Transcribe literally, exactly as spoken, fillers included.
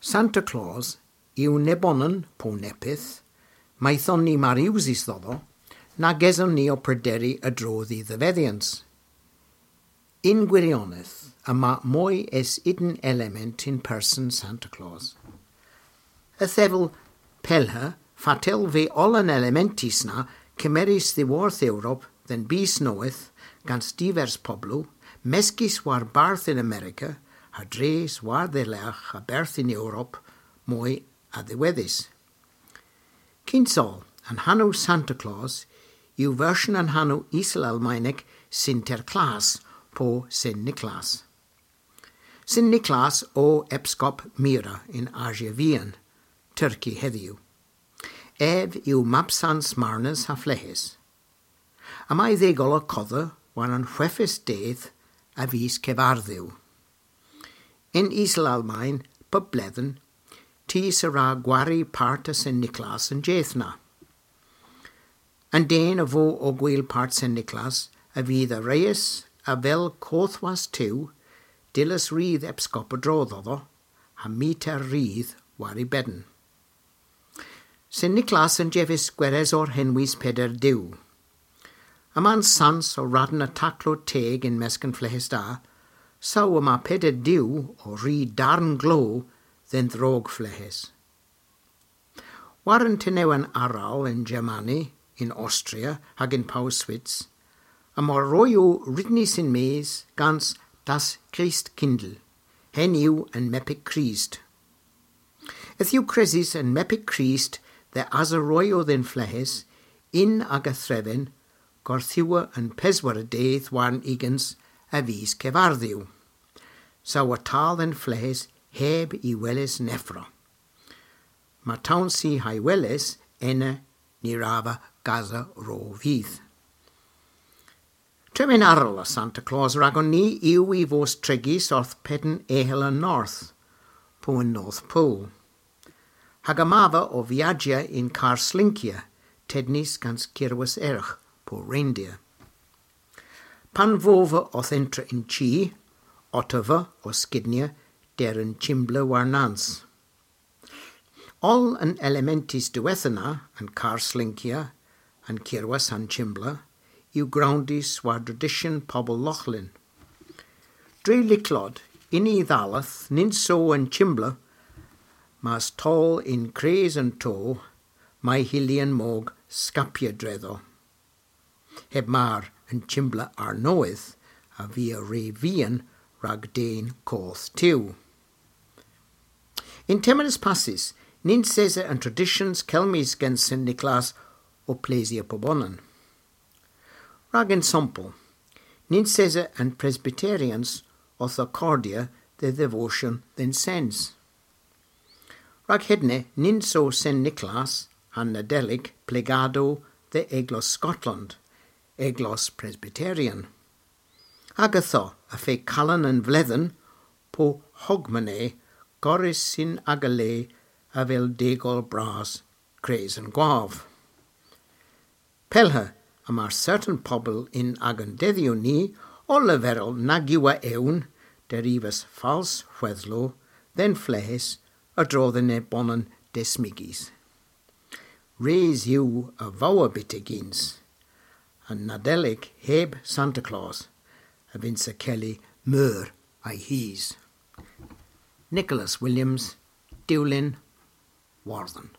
Santa Claus yw nebonan po neppyth, mayth on ni mar usys dhodho, nag eson ni ow prederi a-dro dh'y dhevedhyans. Yn gwirionedh, yma moy es unn element yn person Santa Claus. Yth evel pellhe, fatel veu oll an elementys na kemerys dhiworth Europa dhe'n bys nowydh gans divers poblow, meskys warbarth yn Amerika, ha dres war-dhelergh a-berth yn Europa moy a-dhiwedhys. Kyns oll, an hanow Santa Claus yw versyon an hanow Iselalmaynek Sinterklaas po Sen Niklas. Sen Niklas o epskop Myra yn Asya Vian, Turki hedhyw. Ev yw mabsans marnas ha fleghes. Yma y dhegoll ow kodha war an hweghves dydh a vis Kevardhu. Yn Iselalmayn, pub bledhen, tus a wra gwari part a Sen Niklas an jydh na. An den a vo ow gwil part Sen Niklas a vydh a reys avel kothwas tew, dyllys rudh epskop a-dro dhodho, ha mita rudh war y benn. Sen Niklas a'n jeves gweresor henwys Peder Du. Yma'n sans ow radn a taklow teg yn mysk an fleghes da, saw yma Peder Du ow ri darn glo dhe'n dhrog fleghes. War an tenewen arall yn Germany, yn Austria hag yn Pow Swits, yma royow rydnys yn-mes gans Das Christkindl, henn yw an Mepik Krist. Yth yw kresys an Mepik Krist dhe asa royow dhe'n fleghes yn aga threven gorthugher an peswara dydh warn ugens a vis Kevardhu. Saw a dal dhe'n fleghes heb y weles nevra. Mar towns i ha'y weles, ena ny wrav vy gasa ro vydh. Termyn arall a Santa Claus ragon ni yw y vos trigys orth peden ehel an north, po an North Pole. Hag yma vy ow viajya yn karr slynkya, tennys gans kirwas ergh, po reindeer. Pan vo vy owth entra yn chi, otta vy ow skynnya der an chymbla warnans. Oll an elementys diwettha na, an karr slynkya, an kirwas ha'n chymbla, yw growndys war dredisyon pobel Loghlin. Dre lycklod, yn y dhalleth, nyns o an chymbla, mes toll yn kres an to, may hylli an mog skapya dredho. Heb mar an chymbla arnowydh a via re vian rag den koth tew. Yn termyn eus passys, nyns esa an tradisyans kelmys gen Sen Niklas ow plesya pubonan. Rag ensampel, nyns esa an Presbyterians owth akordya dhe dhevosyon dhe'n sens. Rag hedna, nyns o Sen Niklas ha'n Nadelik plegadow dhe Eglos Skotland, Eglos Presbyterian. Hag ytho, y feu Kalan an Vledhen, po Hogmanay, gorrys yn aga le avel degoll bras kres an gwav. Pellhe, yma sertan pobel yn agan dedhyow ni ow leverel nag yw a ewn derivas fals hwedhlow dhe'n fleghes a-dro dhe nebonan desmygys. Res yw a vowa byttegyns. An Nadelik heb Santa Claus a vynnsa kelli meur a'y hys. Nicholas Williams, Dulyn, Wordhen.